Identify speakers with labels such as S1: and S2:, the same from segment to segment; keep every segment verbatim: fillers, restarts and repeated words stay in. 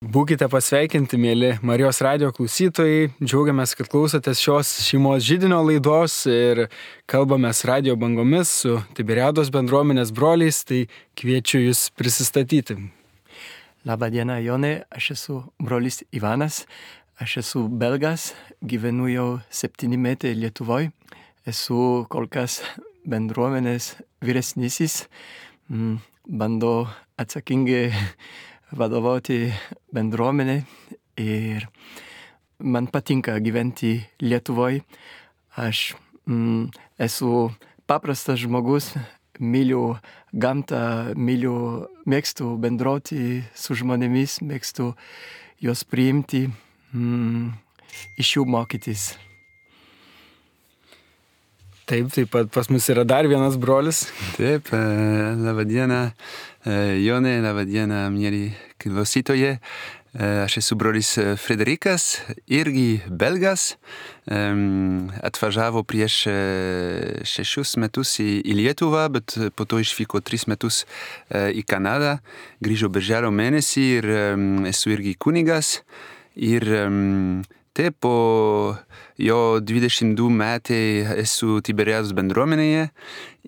S1: Būkite pasveikinti, mėly Marijos radijo klausytojai. Džiaugiamės, kad klausotės šios šeimos židinio laidos ir kalbamės radijo bangomis su Tiberiados bendruomenės broliais, tai kviečiu jūs prisistatyti.
S2: Labą dieną, Jonai, aš esu brolis Ivanas, aš esu belgas, gyvenu jau septyni metai Lietuvoje, esu kol kas bendruomenės vyresnysis, bandau atsakingai vadovauti bendruomenė ir man patinka gyventi Lietuvoje. Aš mm, esu paprastas žmogus, myliu gamtą, myliu, mėgstu bendrauti su žmonėmis, mėgstu juos priimti, mm, iš jų mokytis.
S1: Taip, taip pat pas mus yra dar vienas brolis.
S3: Taip, labą dieną, Jonai, labą dieną, mėly klausytojai. Aš esu brolis Frederikas, irgi belgas. Atvažiavo prieš šešius metus į, į Lietuvą, bet po to išvyko tris metus į Kanadą. Grįžo birželio mėnesį ir esu irgi kunigas. Ir taip, po jo dvidešimt du metai esu Tiberiados bendruomenėje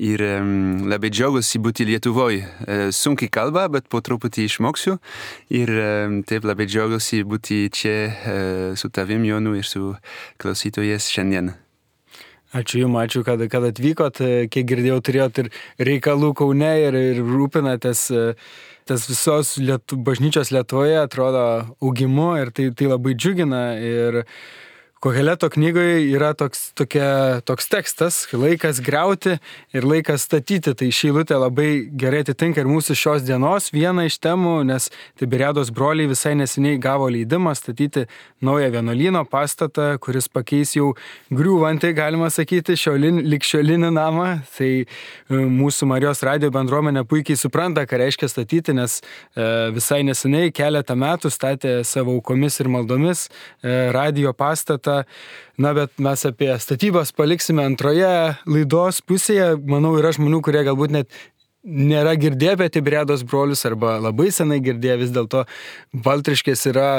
S3: ir um, labai džiaugiuosi būti Lietuvoje. Uh, sunkiai kalba, bet po truputį išmoksiu. Ir um, taip labai džiaugiuosi būti čia uh, su tavim, Jonu, ir su klausytojais šiandien.
S1: Ačiū Jums, ačiū, kad, kad atvykot. Kiek girdėjau, turėjot ir reikalų Kaune ir, ir rūpinatės tas visos Lietu, bažnyčios Lietuvoje, atrodo, augimu ir tai, tai labai džiugina. Ir Koheleto knygoje yra toks, tokia, toks tekstas, laikas griauti ir laikas statyti. Tai ši eilutė labai gerai atitinka ir mūsų šios dienos vieną iš temų, nes Tiberiados broliai visai neseniai gavo leidimą statyti naują vienuolyno pastatą, kuris pakeis jau griūvantį, galima sakyti, šiolin, likščiolinį namą. Tai mūsų Marijos radijo bendruomenė puikiai supranta, ką reiškia statyti, nes visai neseniai keletą metų statė savo aukomis ir maldomis radijo pastatą. Na, bet mes apie statybas paliksime antroje laidos pusėje. Manau, yra žmonių, kurie galbūt net nėra girdėję apie Tiberiados brolius arba labai senai girdėję. Vis dėlto Baltriškės yra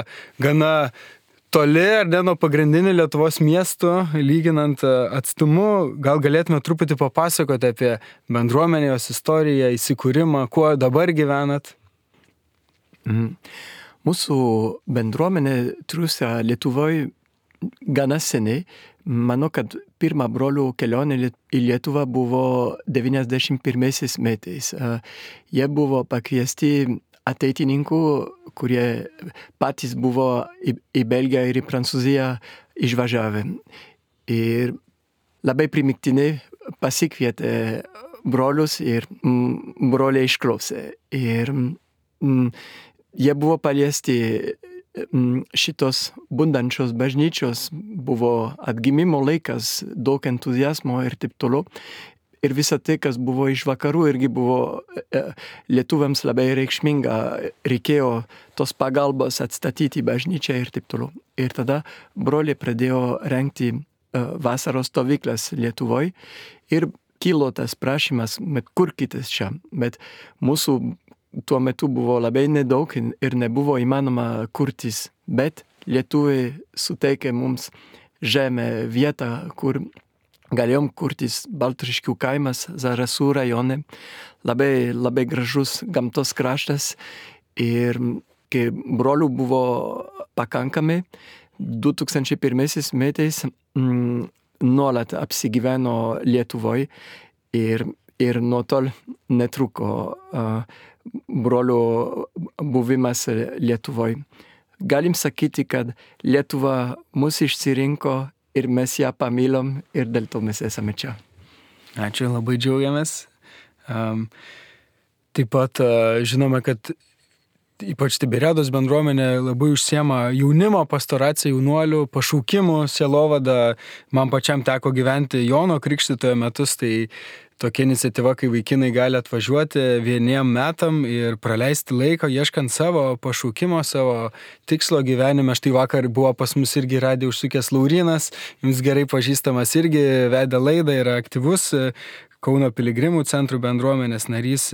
S1: gana toli ar ne nuo pagrindinių Lietuvos miestų, lyginant atstumu. Gal galėtume truputį papasakoti apie bendruomenę, jos istoriją, įsikūrimą, kuo dabar gyvenat?
S2: Mm. Mūsų bendruomenė triūsia Lietuvoje gana seniai. Manau, kad pirma brolių kelionė į Lietuvą buvo devyniasdešimt pirmaisiais metais. Jie buvo pakviesti ateitininkų, kurie patys buvo į, į Belgiją ir į Prancūziją išvažiavę. Ir labai primiktinai pasikvietė brolius ir mm, broliai išklausė. Ir mm, jie buvo paliesti šitos bundančios bažnyčios, buvo atgimimo laikas, daug entuzijazmo ir taip toliau. Ir visa tai, kas buvo iš vakarų, irgi buvo lietuviams labai reikšminga. Reikėjo tos pagalbos atstatyti bažnyčią ir taip toliau. Ir tada broliai pradėjo rengti vasaros stovyklas Lietuvoje ir kilo tas prašymas, bet kurkitės čia. Bet mūsų tuo metu buvo labai nedaug ir nebuvo įmanoma kurtis, bet lietuviai suteikė mums žemę vietą, kur galėjom kurtis. Baltriškių kaimas, Zarasų rajone, labai, labai gražus gamtos kraštas. Ir kai brolių buvo pakankamai, du tūkstančiai pirmaisiais metais mm, nuolat apsigyveno Lietuvoje ir, ir nuo tol netruko uh, brolių buvimas Lietuvoje. Galim sakyti, kad Lietuva mus išsirinko ir mes ją pamylom ir dėl to mes esame čia.
S1: Ačiū, labai džiaugiamės. Um, taip pat uh, žinome, kad ypač Tiberiados bendruomenė labai užsiema jaunimo pastoracija, jaunuolių, pašaukimų, sielovada. Man pačiam teko gyventi Jono Krikštytojo metus, tai tokia iniciatyva, kai vaikinai gali atvažiuoti vieniem metam ir praleisti laiką, ieškant savo pašaukimo, savo tikslo gyvenime. Štai vakar buvo pas mus irgi radijo užsukęs Laurinas, jums gerai pažįstamas, irgi vedė laidą, yra aktyvus Kauno piligrimų centrų bendruomenės narys.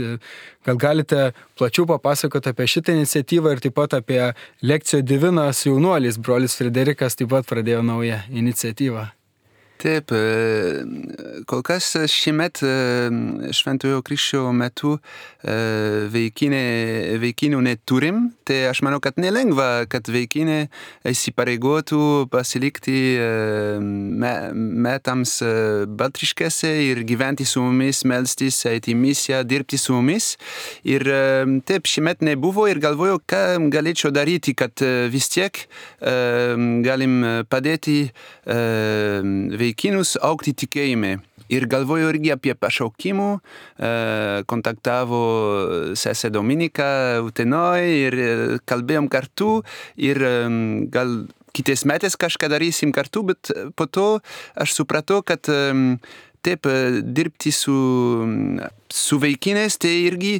S1: Gal galite plačiau papasakoti apie šitą iniciatyvą ir taip pat apie Lekcijo Divina su jaunuoliais. Brolis Frederikas taip pat pradėjo naują iniciatyvą.
S3: Taip, kol kas šiemet Šventojo Kryžiaus metu vaikinė, vaikinų neturim, tai aš manau, kad nelengva, kad vaikinė įsipareigotų pasilikti metams Baltriškėse ir gyventi su mumis, melstis, eiti į misiją, dirbti su mumis. Ir taip, šiemet nebuvo ir galvoju, ką galėčiau daryti, kad vis tiek galim padėti vaikinus augti tikėjime. Ir galvoju irgi apie pašaukimų, kontaktavo sesė Dominika Utenoj ir kalbėjom kartu ir gal kitais metais kažką darysim kartu, bet po to aš supratau, kad taip dirbti su, su vaikinės, tai irgi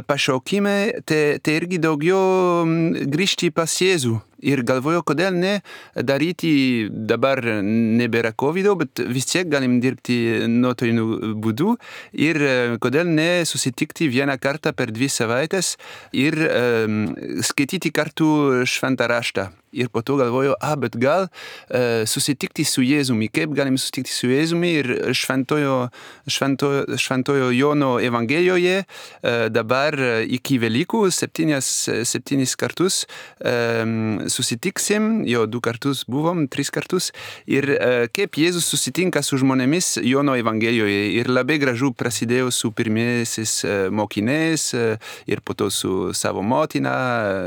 S3: pašaukime, tai, tai irgi daugiau grįžti pas Jėzų. Ir galvoju, kodėl ne daryti, dabar nebėra kovido, bet vis tiek galim dirbti nuotoliniu būdu ir kodėl ne susitikti vieną kartą per dvi savaites ir um, skaityti kartu šventą raštą. Ir po to galvoju, ah, bet gal uh, susitikti su Jėzumi, kaip galim susitikti su Jėzumi ir šventojo, šventojo, šventojo Jono Evangelijoje uh, dabar iki Velykų septynias, septynis kartus um, susitiksim, jo du kartus buvom, tris kartus, ir uh, kaip Jėzus susitinka su žmonėmis Jono Evangelijoje. Ir labai gražu prasidėjo su pirmiesis uh, mokiniais uh, ir po to su savo motina,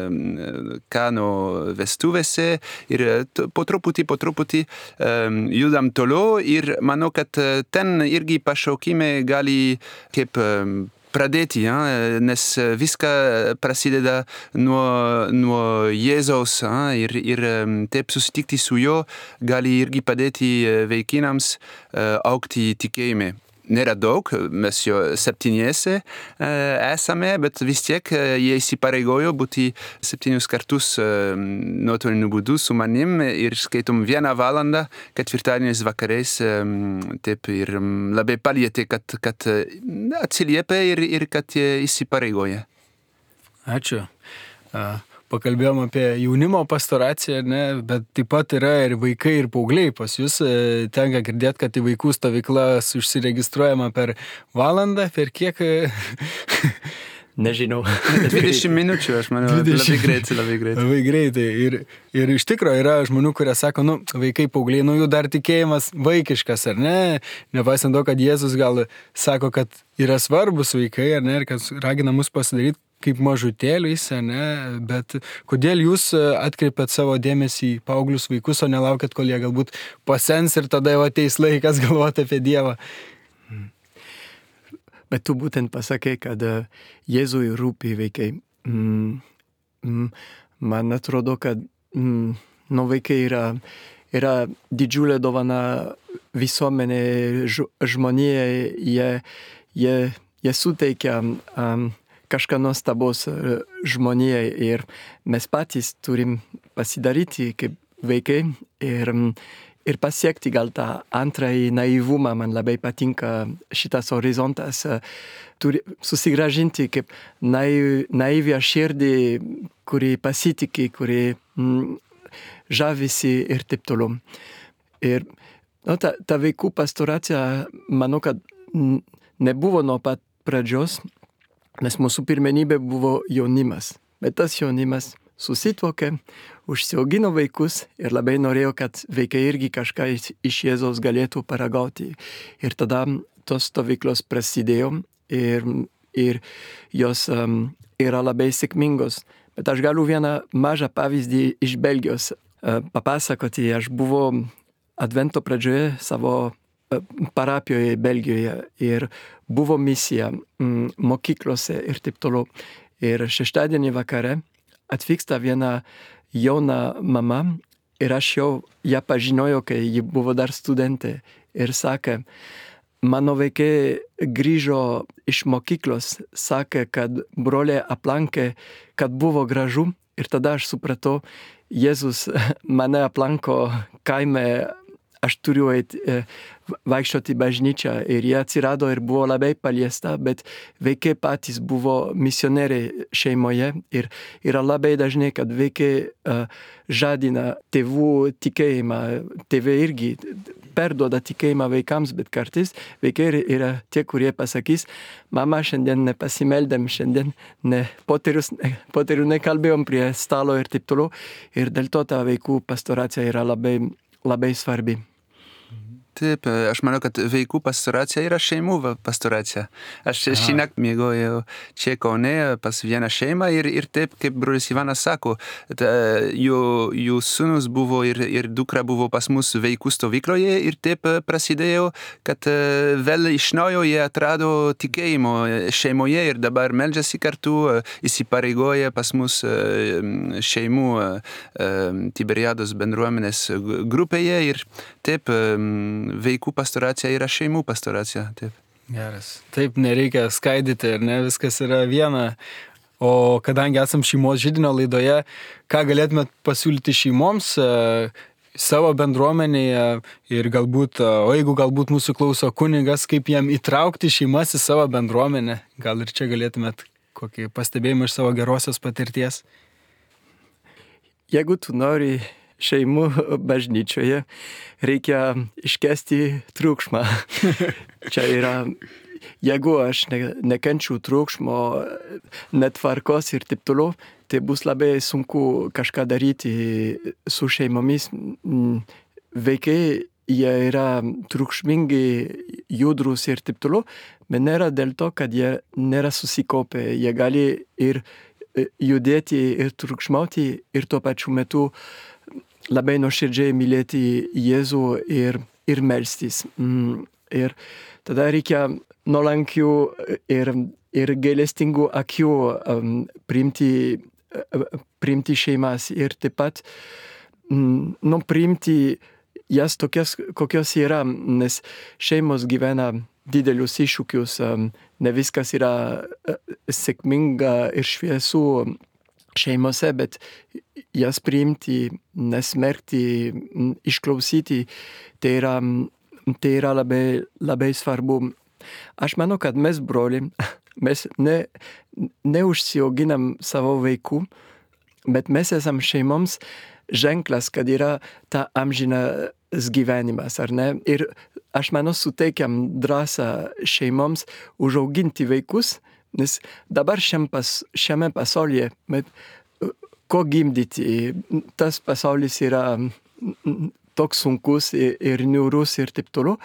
S3: uh, Kano vestuvėse, ir uh, po truputį, po truputį um, judam toliau ir manau, kad uh, ten irgi pašaukime gali kaip um, pradėti, ja? Nes viską prasideda nuo, nuo Jėzaus, ja? ir, ir taip susitikti su juo gali irgi padėti vaikinams augti tikėjime. Nėra daug, mes jo septyniese esame, bet vis tiek jie įsipareigojo būti septynius kartus nuotoliniu būdu su manim ir skaitom vieną valandą ketvirtadieniais vakariais, taip ir labai palietė, kad, kad atsiliepia ir, ir kad įsipareigoja.
S1: Ačiū. Pakalbėjom apie jaunimo pastoraciją, ne, bet taip pat yra ir vaikai, ir paaugliai. Pas jūs tenka girdėti, kad į vaikų stovyklas užsiregistruojama per valandą, per kiek?
S2: Nežinau.
S3: dvidešimt minučių, aš manau, labai greitai, labai greitai.
S1: Labai greitai. Ir, ir iš tikro yra žmonių, kurie sako, nu, vaikai, paaugliai, nu, jų dar tikėjimas vaikiškas, ar ne? Nepaisant to, kad Jėzus gal sako, kad yra svarbus vaikai, ar ne, ir kad ragina mus pasidaryti kaip mažutėliais, ne, bet kodėl jūs atkreipėt savo dėmesį į paauglius vaikus, o nelaukėt, kol jie galbūt pasens ir tada jau ateis laikas galvoti apie Dievą?
S2: Bet tu būtent pasakei, kad Jėzui rūpi vaikai. Mm, mm, man atrodo, kad mm, nu, vaikai yra, yra didžiulė dovana visuomenė, žmonijai, jie, jie, jie suteikia um, kažką nuostabos žmonijai ir mes patys turim pasidaryti kaip vaikai ir, ir pasiekti gal tą antrąjį naivumą. Man labai patinka šitas horizontas, turi susigražinti kaip naiv, naivę širdį, kuri pasitiki, kuri mm, žavisi ir taip toliau. Ir no, ta, ta vaikų pastoracija, manau, kad nebuvo nuo pat pradžios, nes mūsų pirmenybė buvo jaunimas. Bet tas jaunimas susituokė, užsiaugino vaikus ir labai norėjo, kad vaikai irgi kažką iš Jėzaus galėtų paragauti. Ir tada tos stovyklos prasidėjo ir, ir jos um, yra labai sėkmingos. Bet aš galiu vieną mažą pavyzdį iš Belgijos uh, papasakoti. Aš buvau Advento pradžioje savo parapijoje Belgijoje ir buvo misija mm, mokyklose ir taip toliau. Ir šeštadienį vakare atvyksta viena jauna mama ir aš jau ją pažinojau, kai ji buvo dar studentė ir sakė, mano vaikai grįžo iš mokyklos, sakė, kad broliai aplankė, kad buvo gražu ir tada aš supratau, Jėzus mane aplanko kaime aš turiu eit, e, vaikščioti bažnyčią ir jie atsirado ir buvo labai paliesta, bet vaikai patys buvo misionieriai šeimoje ir yra labai dažnai, kad vaikai uh, žadina tėvų tikėjimą, tėvai irgi perduoda tikėjimą vaikams, bet kartais vaikai yra tie, kurie pasakys, mama, šiandien nepasimeldėm, šiandien ne, poterius, ne, poterių nekalbėjom prie stalo ir taip toliau. Ir dėl to ta vaikų pastoracija yra labai, labai svarbi.
S3: Taip, aš manau, kad vaikų pastoracija yra šeimų pastoracija. Aš šįnakt miegojau čia Kaune pas vieną šeimą ir, ir taip, kaip brolis Ivanas sako, ta, jų, jų sūnus buvo ir, ir dukra buvo pas mus vaikų stovykloje ir taip prasidėjo, kad vėl iš naujo jie atrado tikėjimo šeimoje ir dabar meldžiasi kartu, įsipareigoja pas mus šeimų Tiberiados bendruomenės grupėje ir taip vaikų pastoracija yra šeimų pastoracija. Taip.
S1: Geras. Taip, nereikia skaidyti, ir ne, viskas yra viena. O kadangi esam šeimos židinio laidoje, ką galėtumėt pasiūlyti šeimoms e, savo bendruomenėje ir galbūt, o jeigu galbūt mūsų klauso kunigas, kaip jam įtraukti šeimas į savo bendruomenę? Gal ir čia galėtumėt kokį pastebėjimą iš savo gerosios patirties?
S2: Jeigu tu nori šeimų bažnyčioje, reikia iškesti triukšmą. Čia yra, jeigu aš ne, nekenčiu triukšmo, netvarkos ir taip toliau, tai bus labai sunku kažką daryti su šeimomis. Vaikai, jie yra triukšmingi, judrus ir taip toliau, bet nėra dėl to, kad jie nėra susikaupę. Jie gali ir judėti ir triukšmauti ir tuo pačiu metu labai nuoširdžiai mylėti Jėzų ir, ir melstis. Mm, ir tada reikia nuolankių ir, ir gailestingų akių um, priimti, uh, priimti šeimas ir taip pat mm, nu, priimti jas tokias, kokios yra, nes šeimos gyvena didelius iššūkius, um, ne viskas yra uh, sėkminga ir šviesu šeimose, bet jas priimti, nesmerkti, išklausyti, tai yra, tai yra labai, labai svarbu. Aš manau, kad mes broliai, mes ne, neužsiauginam savo vaikų, bet mes esam šeimoms ženklas, kad yra ta amžinas gyvenimas, ar ne? Ir aš manau, suteikiam drąsą šeimoms užauginti vaikus, nes dabar šiam pas, šiame pasaulyje, bet ko gimdyti, tas pasaulis yra toks sunkus ir, ir niūrus ir taip toliau,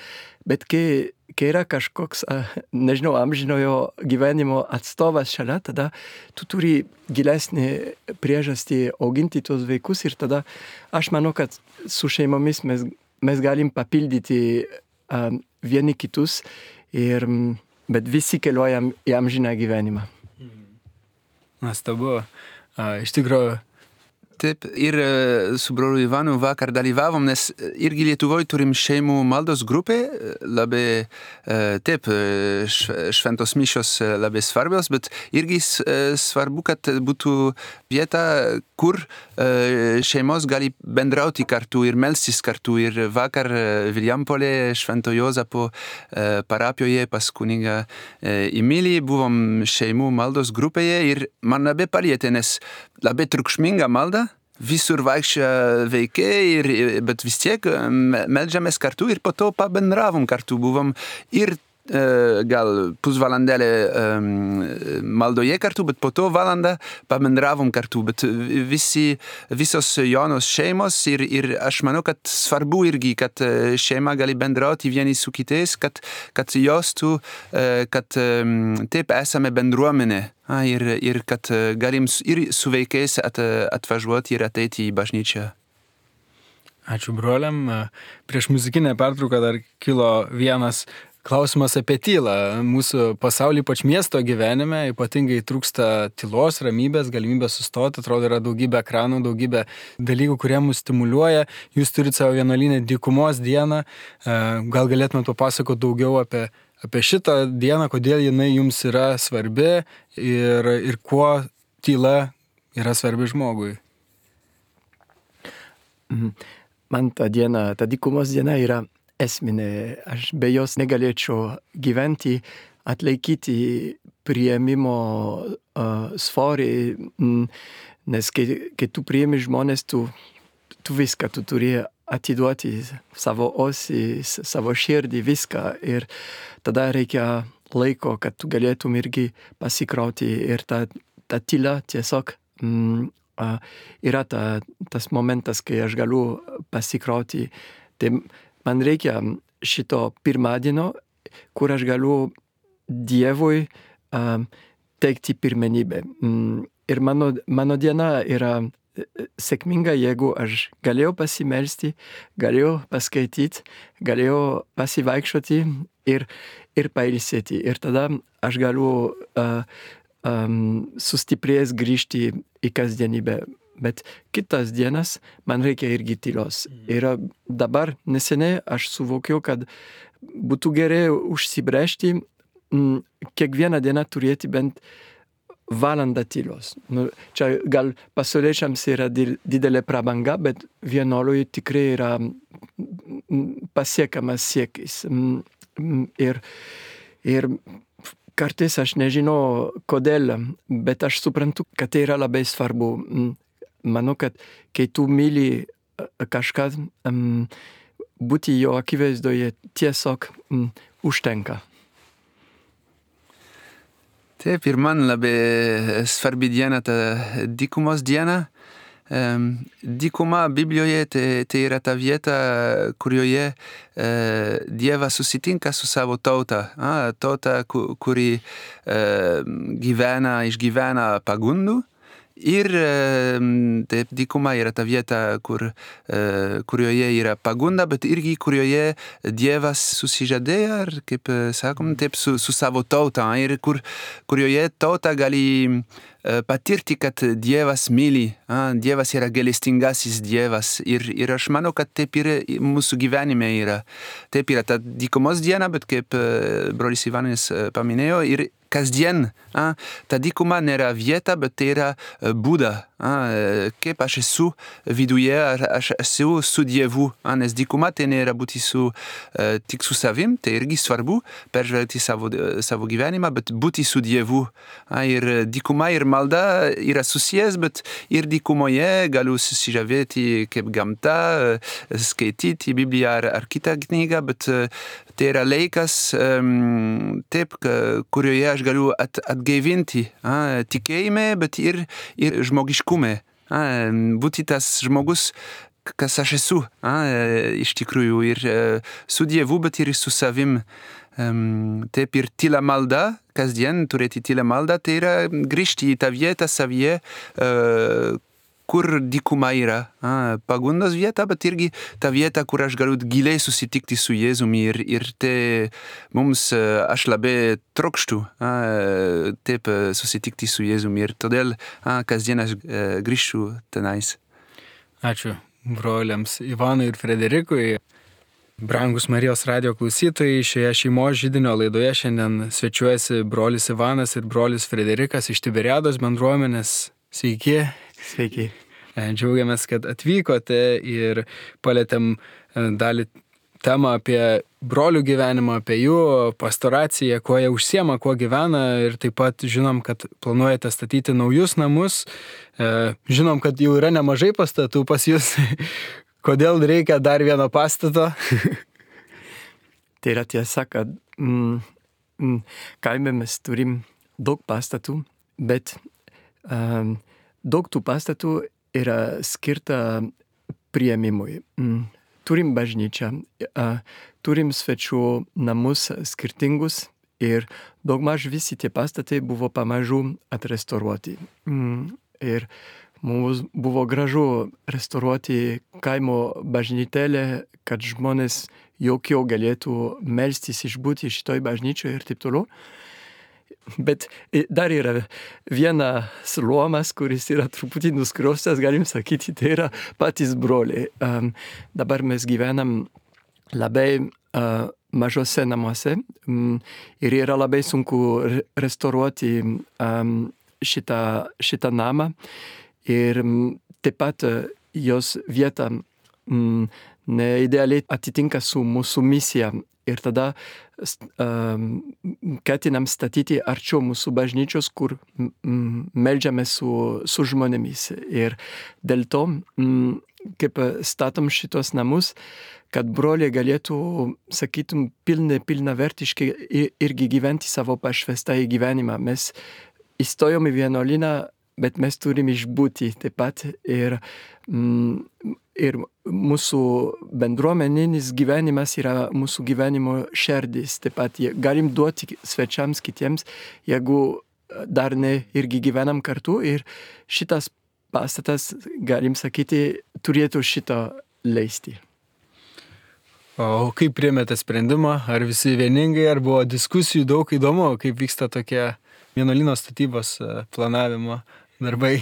S2: bet kai, kai yra kažkoks, nežinau, amžinojo gyvenimo atstovas šalia, tada tu turi gilesnį priežastį auginti tuos vaikus ir tada aš manau, kad su šeimomis mes, mes galim papildyti uh, vieni kitus ir bet visi keliuojam į amžiną gyvenimą.
S1: Nuostabu. Iš tikrųjų.
S3: Taip, ir su broliu Ivanu vakar dalyvavom, nes irgi Lietuvoje turim šeimų maldos grupę, labai, taip, šventos mišios labai svarbios, bet irgi svarbu, kad būtų vieta, kur šeimos gali bendrauti kartu ir melstis kartu. Ir vakar Vilijampolė Švento Jozapo parapijoje pas kunigą Emilį buvom šeimų maldos grupėje ir man labai palietė, nes labai triukšminga malda. Visur vaikščia vaikai, ir, bet vis tiek meldžiamės kartu ir po to pabendravom kartu. Buvom ir e, gal pusvalandėlę e, maldoje kartu, bet po to valandą pabendravom kartu. Bet visi, visos jaunos šeimos ir, ir aš manau, kad svarbu irgi, kad šeima gali bendrauti vieni su kitais, kad, kad jaustų, kad taip esame bendruomenė. A, ir, ir kad galim ir su vaikais at, atvažiuoti ir ateiti į bažnyčią.
S1: Ačiū broliam. Prieš muzikinę pertrauką dar kilo vienas klausimas apie tylą. Mūsų pasaulį, ypač miesto gyvenime, ypatingai trūksta tylos, ramybės, galimybės sustoti. Atrodo, yra daugybė ekranų, daugybė dalykų, kurie mus stimuliuoja. Jūs turite savo vienuolyne dykumos dieną. Gal galėtumėte papasakoti daugiau apie apie šitą dieną, kodėl jinai jums yra svarbi ir, ir kuo tyla yra svarbi žmogui.
S2: man ta diena, ta dykumos diena yra esminė. Aš be jos negalėčiau gyventi, atlaikyti priėmimo uh, svorį, mm, nes kai, kai tu priėmi žmonės, tu, tu viską, tu turi atiduoti savo osį, savo širdį, viską. Ir tada reikia laiko, kad tu galėtum irgi pasikrauti. Ir ta, ta tyla tiesiog mm, uh, yra ta, tas momentas, kai aš galiu pasikrauti. Tai man reikia šito pirmadienio, kur aš galiu Dievui uh, teikti pirmenybę. Mm, ir mano, mano diena yra sėkminga, jeigu aš galėjau pasimelsti, galėjau paskaityti, galėjau pasivaikščioti ir, ir pailsėti. Ir tada aš galiu uh, um, sustiprės grįžti į kasdienybę. Bet kitas dienas man reikia irgi tylos. Ir dabar neseniai aš suvokiau, kad būtų gerai užsibrėžti mm, kiekvieną dieną turėti bent valandą tylos. Nu, čia gal pasauliečiams yra didelė prabanga, bet vienuoliui tikrai yra pasiekamas siekis. Ir, ir kartais aš nežinau kodėl, bet aš suprantu, kad tai yra labai svarbu. Manau, kad kai tu myli kažką, būti jo akivaizdoje tiesiog užtenka.
S3: Taip, ir man labai svarbi diena ta dykumos diena. Um, dykuma Biblijoje tai, tai yra ta vieta, kurioje uh, Dievas susitinka su savo tauta. Ah, tauta, kuri uh, gyvena, išgyvena pagundų. Ir taip, dykuma yra ta vieta, kur, kurioje yra pagunda, bet irgi kurioje Dievas susižadėjo, ar kaip sakom, taip, su, su savo tauta, ir kur, kurioje tauta gali patirti, kad Dievas myli, Dievas yra gailestingasis Dievas. Ir, ir aš manau, kad taip ir mūsų gyvenime yra. Taip yra ta dykumos diena, bet kaip brolis Ivanis paminėjo, ir kasdien, a, ta dykuma nėra vieta, bet tai yra būda. A, kaip aš esu viduje, aš esu su Dievu. A, nes dykuma tai nėra būti su, a, tik su savim, tai irgi svarbu, peržvelgti savo, savo gyvenimą, bet būti su Dievu. A, ir dykuma ir malda yra susijęs, bet ir dykumoje galiu susižavėti kaip gamta, skaityti Bibliją ar, ar kitą knygą, bet tai yra laikas, um, taip, kurioje aš galiu at, atgaivinti a, tikėjime, bet ir, ir žmogiškume. A, būti tas žmogus, kas aš esu, a, iš tikrųjų, ir su Dievu, bet ir su savim. Um, taip, ir tyla malda, kasdien turėti tyla malda, tai yra grįžti į tą vietą savyje, uh, kur dykuma yra. A, pagundos vieta, bet irgi ta vieta, kur aš galiu giliai susitikti su Jėzumi, ir, ir tai mums, aš labai trokštu, a, taip susitikti su Jėzumi, ir todėl a, kasdien aš a, grįžtu tenais.
S1: Ačiū broliams Ivanui ir Frederikui. Brangus Marijos radijo klausytojai, šioje šeimos židinio laidoje šiandien svečiuojasi brolis Ivanas ir brolis Frederikas iš Tiberiados bendruomenės. Sveiki.
S2: Sveiki.
S1: Džiaugiamės, kad atvykote ir palėtėm dalį temą apie brolių gyvenimą, apie jų pastoraciją, kuo jie užsiema, kuo gyvena, ir taip pat žinom, kad planuojate statyti naujus namus. Žinom, kad jau yra nemažai pastatų pas jūs. Kodėl reikia dar vieno pastato?
S2: Tai yra tiesa, kad mm, mm, kaime mes turim daug pastatų, bet um, daug tų pastatų yra skirta priėmimui. Mm. Turim bažnyčią, uh, turim svečių namus skirtingus ir daugmaž visi tie pastatai buvo pamažu atrestauruoti. Mm. Ir mums buvo gražu restauruoti kaimo bažnytėlę, kad žmonės jaukiau galėtų melstis, išbūti šitoj bažnyčioje ir taip toliau. Bet dar yra vienas luomas, kuris yra truputį nuskriaustas, galim sakyti, tai yra patys broliai. Um, dabar mes gyvenam labai uh, mažose namuose um, ir yra labai sunku re- restauruoti um, šitą, šitą namą. Ir um, taip pat uh, jos vietą mm, ne idealiai atitinka su mūsų misija. Ir tada um, ketinam statyti arčiau mūsų bažnyčios, kur mm, meldžiamės su, su žmonėmis. Ir dėl to, mm, kaip statom šitos namus, kad broliai galėtų, sakytum, pilnai, pilnavertiškai irgi gyventi savo pašvestąjį gyvenimą. Mes įstojom į vienuolyną, bet mes turim išbūti taip pat. Ir, mm, ir mūsų bendruomeninis gyvenimas yra mūsų gyvenimo šerdis. Taip pat galim duoti svečiams kitiems, jeigu dar ne irgi gyvenam kartu. Ir šitas pastatas, galim sakyti, turėtų šitą leisti.
S1: O kaip priėmėte sprendimą? Ar visi vieningai, ar buvo diskusijų daug? Įdomu, kaip vyksta tokie vienuolyno statybos planavimo darbai?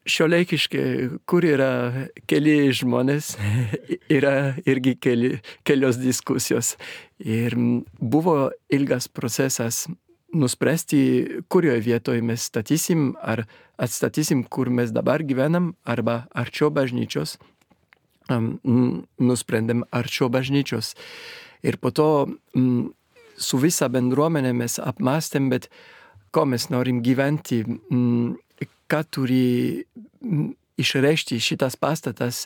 S2: Šiuolaikiškai, kur yra keli žmonės, yra irgi keli, kelios diskusijos. Ir buvo ilgas procesas nuspręsti, kurioje vietoje mes statysim, ar atstatysim, kur mes dabar gyvenam, arba arčiau bažnyčios. Um, nusprendėm arčiau bažnyčios. Ir po to um, su visa bendruomenė mes apmastėm, bet ko mes norim gyventi, um, ką turi um, išreikšti šitas pastatas.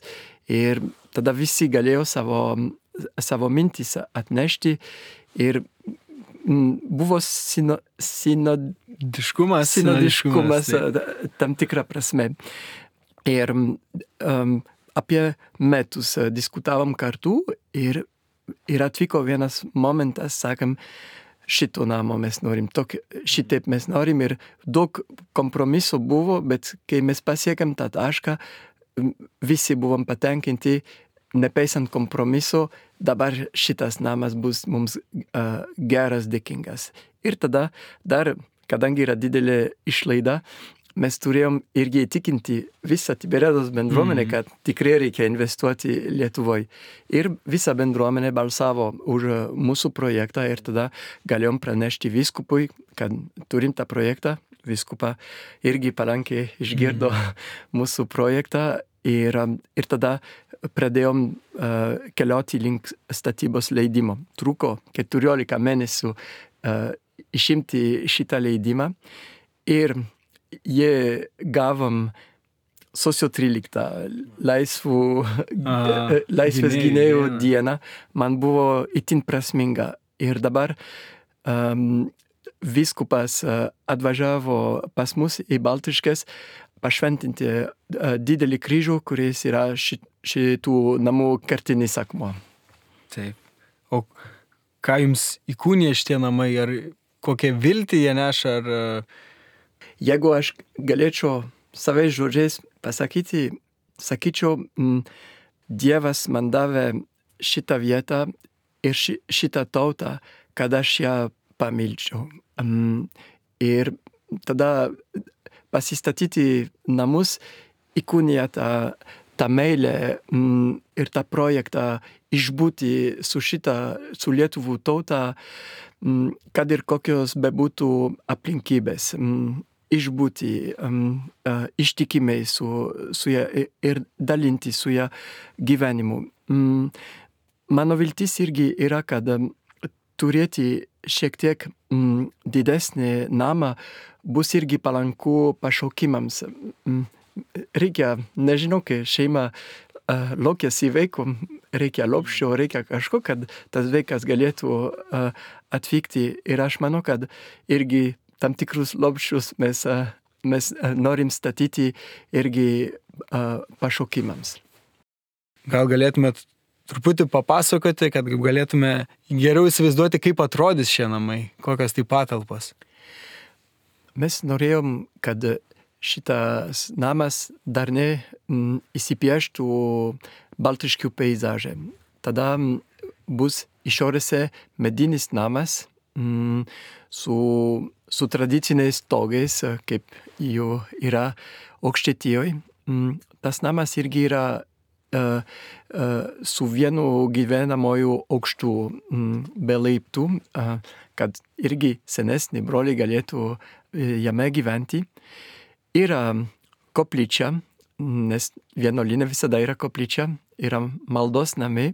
S2: Ir tada visi galėjo savo, savo mintis atnešti. Ir um, buvo sino, sinodiškumas, sinodiškumas tam tikrą prasme. Ir um, apie metus diskutavom kartu ir, ir atvyko vienas momentas, sakėm, šito namo mes norim, tok, šitaip mes norim ir daug kompromiso buvo, bet kai mes pasiekėm tą tašką, visi buvom patenkinti, nepaisant kompromiso, dabar šitas namas bus mums uh, geras, dėkingas. Ir tada dar, kadangi yra didelė išlaida, mes turėjom irgi įtikinti visą Tiberiados bendruomenę, kad tikrai reikia investuoti Lietuvoje. Ir visa bendruomenė balsavo už mūsų projektą ir tada galėjom pranešti vyskupui, kad turim tą projektą. Vyskupa irgi palankiai išgirdo mm. mūsų projektą ir, ir tada pradėjom uh, keliauti link statybos leidimo. Truko keturiolika mėnesių uh, išimti šitą leidimą ir jie gavom sausio tryliktą laisvų, A, laisvės gynėjų dieną. Man buvo itin prasminga. Ir dabar um, vyskupas uh, atvažiavo pas mus į Baltiškes pašventinti uh, didelį kryžių, kuris yra ši, šitų namų kertinis akmuo.
S1: Taip. O ką jums įkūnija šitie namai? Ar kokią viltį jie neša? Ar...
S2: Jeigu aš galėčiau savais žodžiais pasakyti, sakyčiau, m, Dievas man davė šitą vietą ir ši, šitą tautą, kad aš ją pamilčiau. Um, ir tada pasistatyti namus įkūnija tą, tą meilę um, ir tą projektą išbūti su šitą, su Lietuvų tautą, um, kad ir kokios bebūtų aplinkybės. Um, išbūti um, uh, ištikimiai su, su ją ir dalinti su ją gyvenimu. Um, mano viltis irgi yra, kad um, turėti šiek tiek um, didesnį namą bus irgi palanku pašaukimams. Um, reikia, nežinau, kai šeima uh, lokiasi vaikų, reikia lopščio, reikia kažko, kad tas vaikas galėtų uh, atvykti. Ir aš manau, kad irgi tam tikrus lopščius mes, mes norim statyti irgi uh, pašaukimams.
S1: Gal galėtumėt truputį papasakoti, kad galėtume geriau įsivaizduoti, kaip atrodys šie namai, kokios tai patalpos?
S2: Mes norėjom, kad šitas namas dar ne m, įsipieštų baltiškių peizažė. Tada m, bus išorėse medinis namas m, su su tradiciniais stogais, kaip jų yra Aukštaitijoje. Tas namas irgi yra uh, uh, su vienu gyvenamoju aukštu um, be laiptų, uh, kad irgi senesni broliai galėtų uh, jame gyventi. Yra koplyčia nes vienuolyne visada yra koplyčia, yra maldos namai,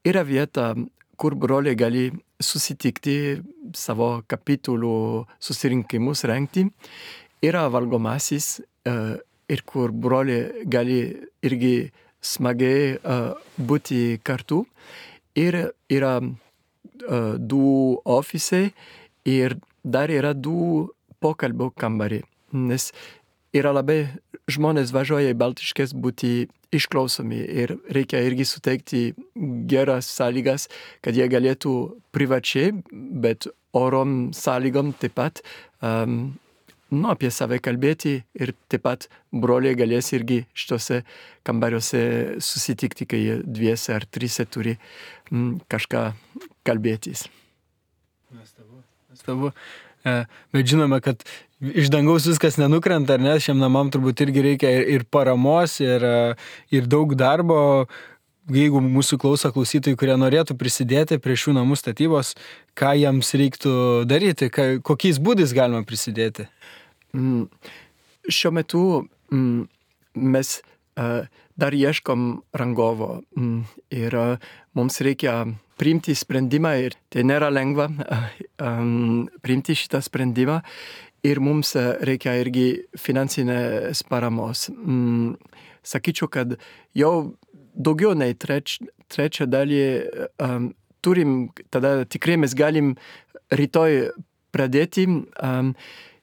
S2: yra vieta, kur broliai gali susitikti, savo kapitulų susirinkimus rengti, yra valgomasis, ir kur broliai gali irgi smagiai būti kartu, ir yra du ofisai, ir dar yra du pokalbio kambariai, nes yra labai žmonės važiuoja į Baltiškes būti išklausomi ir reikia irgi suteikti geras sąlygas, kad jie galėtų privačiai, bet orom sąlygom taip pat um, nu, apie save kalbėti ir taip pat broliai galės irgi šitose kambariuose susitikti, kai jie dviese ar trise turi mm, kažką kalbėtis.
S1: Nuostabu, nuostabu. Bet žinome, kad iš dangaus viskas nenukrenta, ar ne? Šiam namam turbūt irgi reikia ir paramos, ir, ir daug darbo. Jeigu mūsų klauso klausytojai, kurie norėtų prisidėti prie šių namų statybos, ką jiems reiktų daryti, ką, kokiais būdais galima prisidėti?
S2: Mm, šiuo metu mm, mes uh, dar ieškom rangovo mm, ir uh, mums reikia priimti sprendimą ir tai nėra lengva um, priimti šitą sprendimą ir mums reikia irgi finansinės paramos. Mm, sakyčiau, kad jau daugiau nei treč, trečią dalį um, turim, tada tikrai mes galim rytoj pradėti um,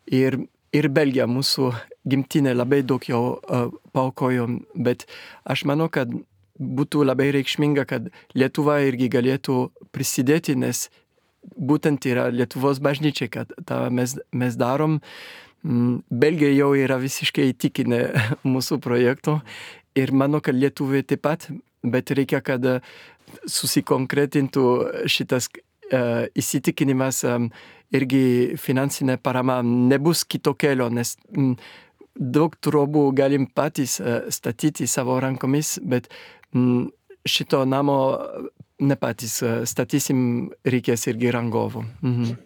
S2: ir, ir Belgija, mūsų gimtinė, labai daug jau uh, paaukojo, bet aš manau, kad būtų labai reikšminga, kad Lietuva irgi galėtų prisidėti, nes būtent yra Lietuvos bažnyčia, kad tą mes, mes darom. Belgija jau yra visiškai įtikinę mūsų projektų ir manau, kad Lietuvai taip pat, bet reikia, kad susikonkretintų šitas uh, įsitikinimas, um, irgi finansinė parama nebus kito kelio, nes um, daug trobų galim patys uh, statyti savo rankomis, bet šito namo ne patys statysim, reikės irgi rangovų. Mhm.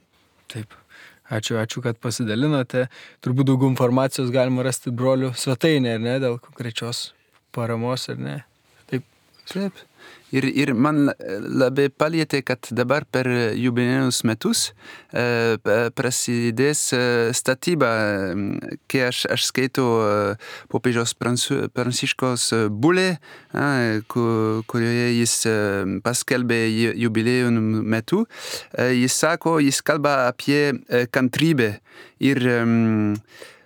S1: Taip. Ačiū, ačiū, kad pasidalinote. Turbūt daug informacijos galima rasti brolių svetainė, ar ne, dėl konkrečios paramos, ar ne? Taip.
S3: Taip. Ir, ir man labai palietė, kad dabar per jubiliejinius metus e, prasidės statyba, kai aš, aš skaitau popiežiaus Pranciškaus bulę, kurioje jis paskelbė jubiliejų metu. Jis sako, jis kalba apie kantrybę ir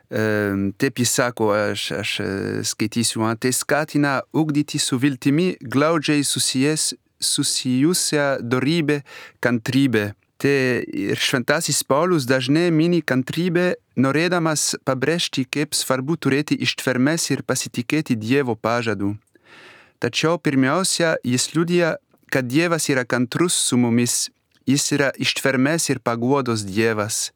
S3: taip jis sako, aš, aš skaitysiu, tai skatina ugdyti su viltimi glaudžiai susijęs, susijusią dorybę kantrybę. Tai ir šventasis Paulius dažnai mini kantrybę, norėdamas pabrėžti, kaip svarbu turėti ištvermės ir pasitikėti Dievo pažadu. Tačiau pirmiausia, jis liudija, kad Dievas yra kantrus su mumis, jis yra ištvermės ir paguodos Dievas.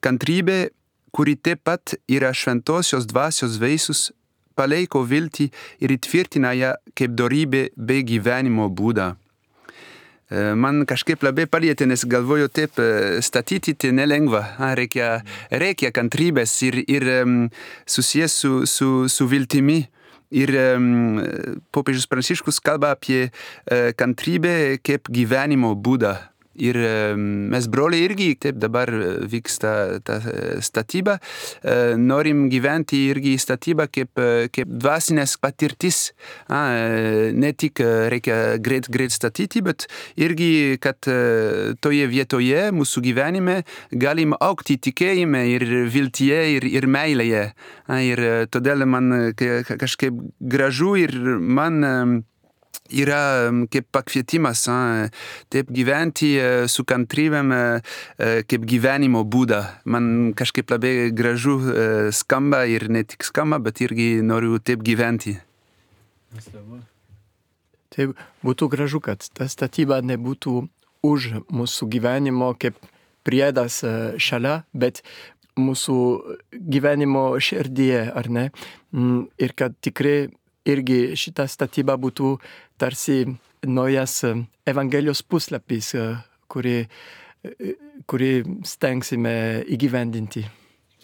S3: Kantrybė, kuri taip pat yra šventosios dvasios vaisius, palaiko viltį ir įtvirtina ją kaip dorybė bei gyvenimo būdą. Man kažkaip labai palietė, nes galvoju taip, statyti tai nelengva, reikia, reikia kantrybės ir, ir susijęs su, su, su viltimi. Ir popiežius Pranciškus kalba apie kantrybę kaip gyvenimo būdą. Ir mes broliai irgi, taip dabar vyksta ta statyba, norim gyventi irgi statybą kaip, kaip dvasinės patirtis. Ne tik reikia greit, greit statyti, bet irgi, kad toje vietoje mūsų gyvenime galim augti tikėjime ir viltyje ir, ir meilėje. Ir todėl man kažkaip gražu ir man yra kaip pakvietimas, taip gyventi su kantrybėm kaip gyvenimo būdą. Man kažkaip labai gražu skamba ir ne tik skamba, bet irgi noriu taip gyventi.
S2: Taip, būtų gražu, kad ta statyba nebūtų už mūsų gyvenimo kaip priedas šalia, bet mūsų gyvenimo širdyje, ar ne? Ir kad tikrai irgi šita statyba būtų tarsi naujas Evangelijos puslapis, kurį, kurį stengsime įgyvendinti.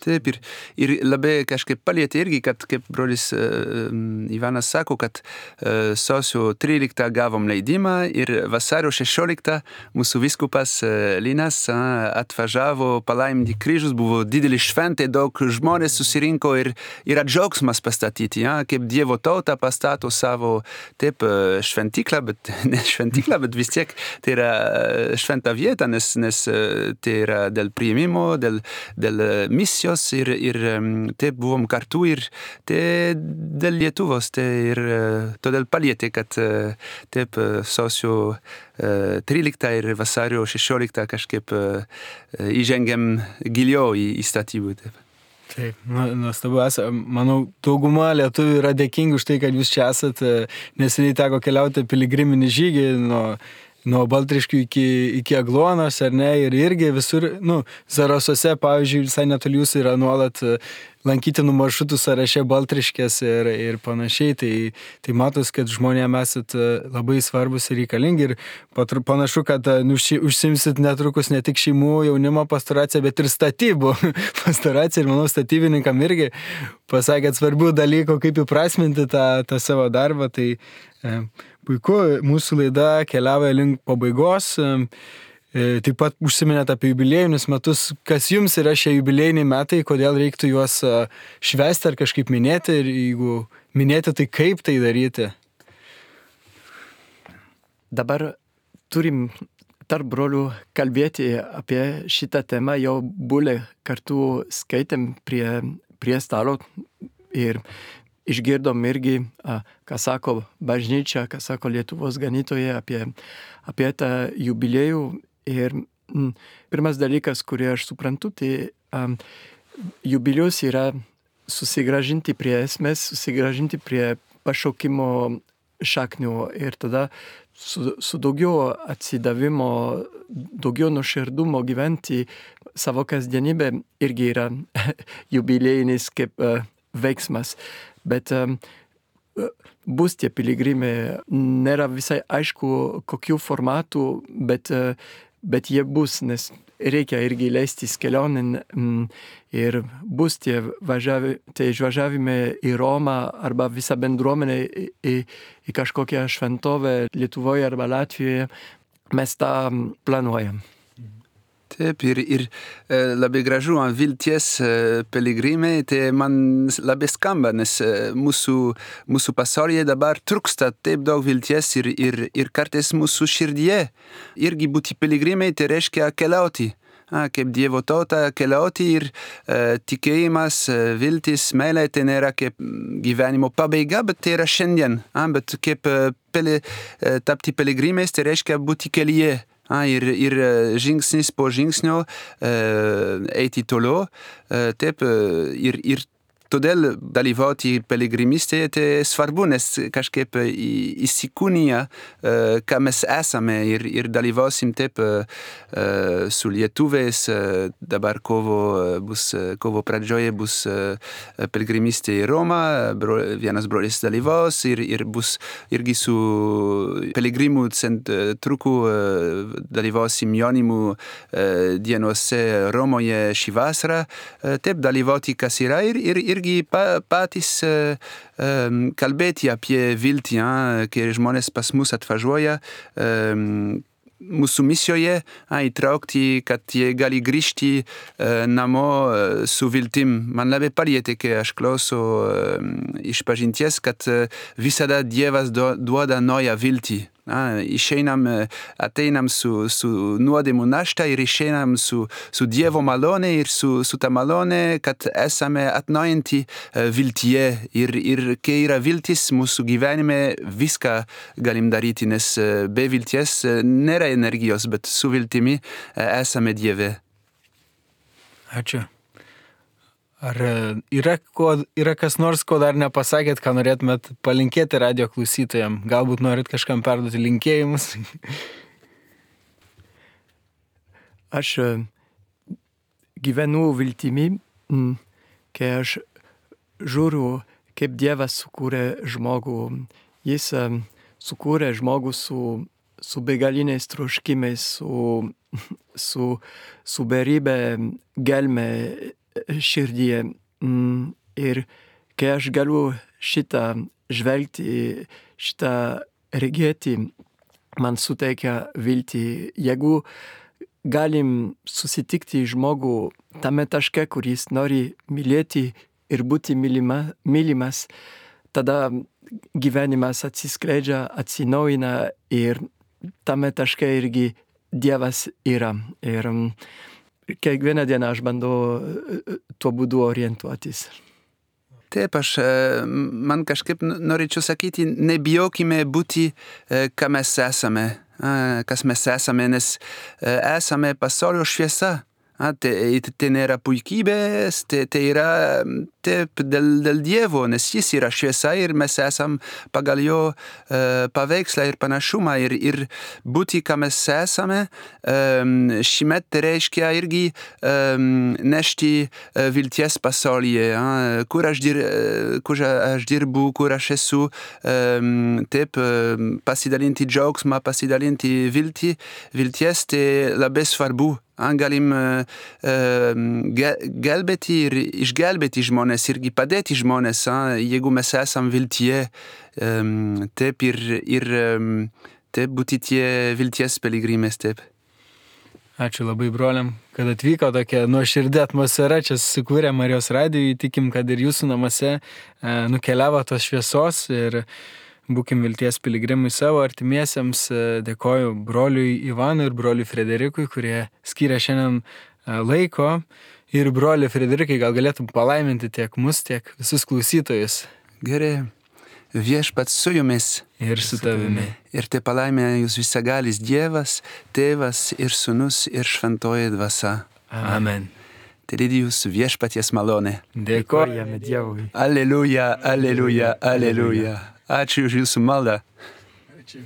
S3: Taip, ir, ir labai kažkaip palietė irgi, kad kaip brolis uh, Ivanas sako, kad uh, sausio tryliktą gavom leidimą ir vasario šešioliktą mūsų vyskupas uh, Linas uh, atvažiavo palaiminti kryžius, buvo didelį šventė, daug žmonės susirinko ir yra džiaugsmas pastatyti, ja? Kaip Dievo tauta pastato savo taip uh, šventyklą, bet ne šventyklą, bet vis tiek tai yra šventa vieta, nes, nes uh, tai yra dėl priėmimo, dėl, dėl uh, misijos, ir, ir taip buvom kartu ir tai dėl Lietuvos, tai ir todėl palietė, kad taip sausio tryliktą ir vasario šešioliktą kažkaip įžengėm giliau į, į statybų. Taip.
S1: Taip, nuostabu esate. Manau, dauguma lietuvių yra dėkingi už tai, kad jūs čia esate. Neseniai teko keliauti piligriminį žygį nuo nuo Baltriškių iki, iki Agluonos, ar ne, ir irgi visur, nu, Zarasuose, pavyzdžiui, visai netoli jūsų yra nuolat lankytinų maršrutų sąraše Baltriškės ir, ir panašiai, tai, tai matos, kad žmonėms esat labai svarbus ir reikalingi ir panašu, kad nu, ši, užsimsit netrukus ne tik šeimų jaunimo pastoraciją, bet ir statybų pastoraciją ir manau, statybininkam irgi pasakėt svarbių dalykų, kaip įprasminti tą, tą savo darbą, tai e, puiku, mūsų laida keliauja link pabaigos. Taip pat užsiminėt apie jubiliejinius metus. Kas jums yra šie jubiliejiniai metai, kodėl reiktų juos švęsti ar kažkaip minėti ir jeigu minėti, tai kaip tai daryti?
S2: Dabar turim tarp brolių kalbėti apie šitą temą, jau bulę kartu skaitėm prie, prie stalo ir išgirdom irgi, ką sako bažnyčia, ką sako Lietuvos ganytojai apie, apie tą jubiliejų. Ir m, pirmas dalykas, kurį aš suprantu, tai um, jubiliejus yra susigražinti prie esmės, susigražinti prie pašaukimo šaknių ir tada su, su daugiau atsidavimo, daugiau nuoširdumo gyventi savo kasdienybę irgi yra jubiliejinis kaip uh, veiksmas. Bet um, bus tie piligrimai, nėra visai aišku, kokių formatų, bet, uh, bet jie bus, nes reikia irgi leistis kelionėn mm, ir bus tie, važiavi, tie išvažiavimai į Romą arba visą bendruomenę į, į, į kažkokią šventovę Lietuvoje arba Latvijoje. Mes tą planuojam.
S3: Taip, ir, ir labai gražu ant vilties piligrimai, tai man labai skamba, nes mūsų, mūsų pasaulyje dabar trūksta taip daug vilties ir, ir, ir kartais mūsų širdyje irgi būti piligrimai, tai reiškia keliauti. A, kaip Dievo tauta keliauti ir e, tikėjimas, viltis, meilė, tai nėra kaip gyvenimo pabaiga, bet tai yra šiandien. A, bet kaip peli, tapti piligrimais, tai reiškia būti kelyje. A, ir, ir žingsnis po žingsnio e, eiti toliau. E, taip, ir, ir todėl dalyvauti piligrimystėje tai svarbu, nes kažkaip įsikūnija, ką mes esame ir, ir dalyvausim taip su lietuviais. Dabar kovo, bus, kovo pradžioje bus piligrimystė į Romą, bro, vienas brolis dalyvaus ir, ir bus irgi su piligrimų centru dalyvausim jaunimų dienose Romoje šį vasarą. Taip, dalyvauti kas yra ir, ir irgi patys uh, um, kalbėti apie viltį, uh, kai žmonės pas mus atvažiuoja um, mūsų misijoje, uh, įtraukti, kad jie gali grįžti uh, namo uh, su viltim. Man labai palietė, kai aš klausau uh, išpažinties, kad uh, visada Dievas do, duoda naują viltį. A, išeinam, ateinam su, su nuodėmų našta ir išeinam su, su Dievo malone ir su, su ta malone, kad esame atnaujinti viltyje ir, ir kai yra viltis mūsų gyvenime, viską galim daryti, nes be vilties nėra energijos, bet su viltimi esame Dieve.
S1: Ačiū. Ar yra, ko, yra kas nors, ko dar nepasakėt, ką norėtumėt palinkėti radio klausytojams? Galbūt norit kažkam perduoti linkėjimus?
S2: Aš gyvenu viltimi, kai aš žiūriu, kaip Dievas sukūrė žmogų. Jis sukūrė žmogų su, su begaliniais troškimais, su, su, su beribė gelme širdyje. Ir kai aš galiu šitą žvelgti, šitą regėti, man suteikia viltį. Jeigu galim susitikti žmogų tame taške, kuris nori mylėti ir būti mylima, mylimas, tada gyvenimas atsiskleidžia, atsinaujina ir tame taške irgi Dievas yra. Ir kiekvieną dieną aš bandau tuo būdu orientuotis.
S3: Taip, aš, man kažkaip norėčiau sakyti, nebijokime būti, ką mes esame, kas mes esame, nes esame pasaulio šviesa. Tai, tai nėra puikybės, tai, tai yra taip dėl, dėl Dievo, nes jis yra šviesa ir mes esam pagal jo uh, paveikslą ir panašumą ir, ir būti, ką mes esame, um, šimet tai reiškia irgi um, nešti uh, vilties pasaulyje, uh, kur, aš dir, uh, kur aš dirbu, kur aš esu, um, taip uh, pasidalinti džiaugsmą, pasidalinti viltį, vilties, tai labai svarbu. Galim uh, gelbėti ir išgelbėti žmonės, irgi padėti žmonės, uh, jeigu mes esam viltyje, um, taip ir, ir um, taip būti tie vilties piligrimės, taip.
S1: Ačiū labai broliam, kad atvyko tokia nuoširdė atmosfera, čia susikūrė Marijos radijui, tikim, kad ir jūsų namuose uh, nukeliavo tos šviesos ir būkim vilties piligrimai savo artimiesiems. Dėkoju broliui Ivanui ir broliui Frederikui, kurie skiria šiandien laiko. Ir broliui Frederikai, gal galėtum palaiminti tiek mus, tiek visus klausytojus.
S3: Gerai. Viešpats su jumis.
S1: Ir su tavimi.
S3: Ir te palaimina jūs visagalis Dievas, Tėvas ir Sūnus ir Šventoji Dvasia.
S1: Amen.
S3: Te lydi jūsų viešpaties malonė.
S1: Dėkojame Dievui.
S3: Alleluja, alleluja, alleluja. Ačiū už jūsų maldą.
S1: Ačiū.